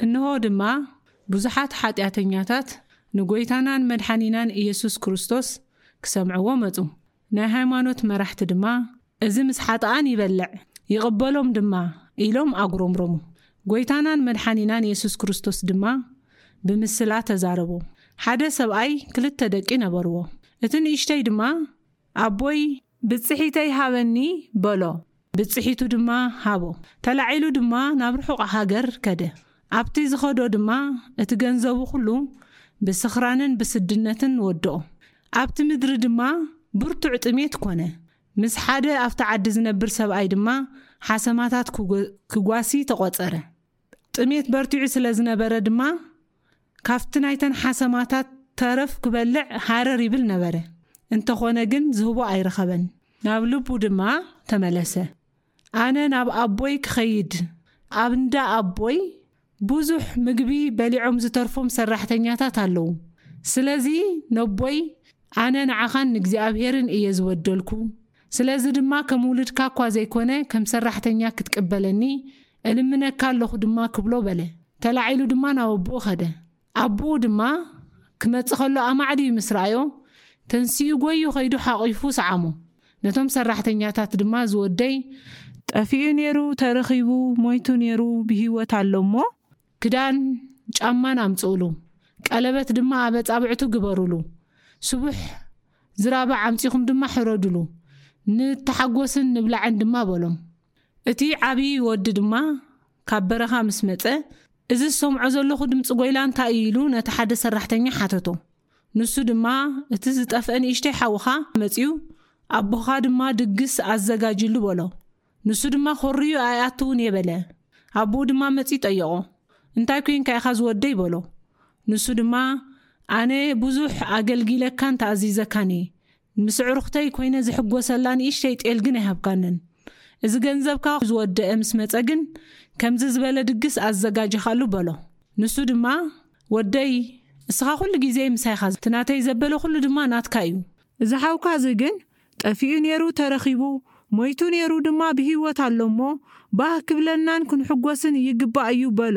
እንሆ ድማ ብዙሓት ሓጢኣተኛታት ንጎይታናን መድሓኒናን ኢየሱስ ክርስቶስ ክሰምዕዎ መጹ። ናይ ሃይማኖት መራሕቲ ድማ፣ "እዚ ምስ ሓጥኣን ይበልዕ፣ ይቕበሎም ድማ" ኢሎም ኣጉረምረሙ። ጎይታናን መድሓኒናን ኢየሱስ ክርስቶስ ድማ ብምስላ ተዛረቦም። ሓደ ሰብኣይ ክልተ ደቂ ነበርዎ። እቲ ንእሽተይ ድማ፣ "ኣቦይ፣ ብጽሒተይ ሃበኒ" በሎ። ብጽሒቱ ድማ ሃቦ። ተላዒሉ ድማ ናብ ርሑቕ ሃገር ከደ። ኣብቲ ዝኸዶ ድማ እቲ ገንዘቡ ኩሉ ብስኽራንን ብስድነትን ወድኦ። ኣብቲ ምድሪ ድማ ብርቱዕ ጥሜት ኮነ። ምስ ሓደ ኣብቲ ዓዲ ዝነብር ሰብኣይ ድማ ሓሰማታት ክጎ-፣ ክጓሲ ተቖጸረ። ጥሜት በርቲዑ ስለ ዝነበረ ድማ ካብቲ ናይተን ሓሰማታት ተረፍ ክበልዕ ሃረር ይብል ነበረ። እንተኾነ ግን ዝህቦ ኣይረኸበን። ናብ ልቡ ድማ ተመለሰ። "ኣነ ናብ ኣቦይ ክኸይድ፣ ኣብ እንዳ ኣቦይ ብዙሕ ምግቢ በሊዖም ዝተርፎም ሰራሕተኛታት ኣለዉ። ስለዚ ነቦይ፣ ኣነ ንዓኻን ንእግዚኣብሔርን እየ ዝወደልኩ። ስለዚ ድማ ከም ውሉድካ እኳ ዘይኮነ ከም ሰራሕተኛ ክትቅበለኒ እልምነካ ኣለኹ ድማ" ክብሎ በለ። ተላዒሉ ድማ ናብ ኣቦኡ ኸደ። ኣቦኡ ድማ ክመጽእ ከሎ ኣማዕድዩ ምስ ረኣዮ፣ ተንሲኡ ጎዩ ኸይዱ ሓቒፉ ሰዓሞ። ነቶም ሰራሕተኛታት ድማ፣ "ዝወደይ ጠፊኡ ነይሩ፣ ተረኺቡ፣ ሞይቱ ነይሩ፣ ብህይወት ኣሎ እሞ፣ ክዳን ጫማን ኣምጽኡሉ፣ ቀለበት ድማ ኣብ ኣጻብዕቱ ግበሩሉ፣ ስቡሕ ዝራባዕ ኣምጺኹም ድማ ሕረዱሉ፣ ንተሓጎስን ንብላዕን ድማ" በሎም። እቲ ዓብዪ ወዲ ድማ ካብ በረኻ ምስ መጸ፣ "እዚ ዝሰምዖ ዘለኹ ድምጺ ጓይላ እንታይ እዩ?" ኢሉ ነቲ ሓደ ሰራሕተኛ ሓተቶ። ንሱ ድማ፣ "እቲ ዝጠፍአ ንእሽተይ ሓውኻ መጺኡ፣ ኣቦኻ ድማ ድግስ ኣዘጋጅሉ" በሎ። ንሱ ድማ፣ "ኮርዩ ኣይኣትውን እየ" በለ። ኣቦኡ ድማ መጺኡ ጠየቖ። "እንታይ ኮይንካ ኢኻ ዝወደይ?" በሎ። ንሱ ድማ፣ "ኣነ ብዙሕ ኣገልጊለካን ተኣዚዘካን እየ። ምስ ኣዕሩኽተይ ኮይነ ዝሕጎሰላ ንእሽተይ ጤል ግን ኣይሃብካንን። እዚ ገንዘብካ ዝወደአ ምስ መጸ ግን ከምዚ ዝበለ ድግስ ኣዘጋጅኻሉ" በሎ። ንሱ ድማ፣ "ወደይ፣ እስኻ ኩሉ ግዜ ምሳይ ኢኻ፣ እቲ ናተይ ዘበለ ኩሉ ድማ ናትካ እዩ። እዚ ሓውካ እዚ ግን ጠፊኡ ነይሩ ተረኺቡ፣ ሞይቱ ነይሩ ድማ ብህይወት ኣሎ እሞ፣ ባህ ክብለናን ክንሕጎስን ይግባእ እዩ" በሎ።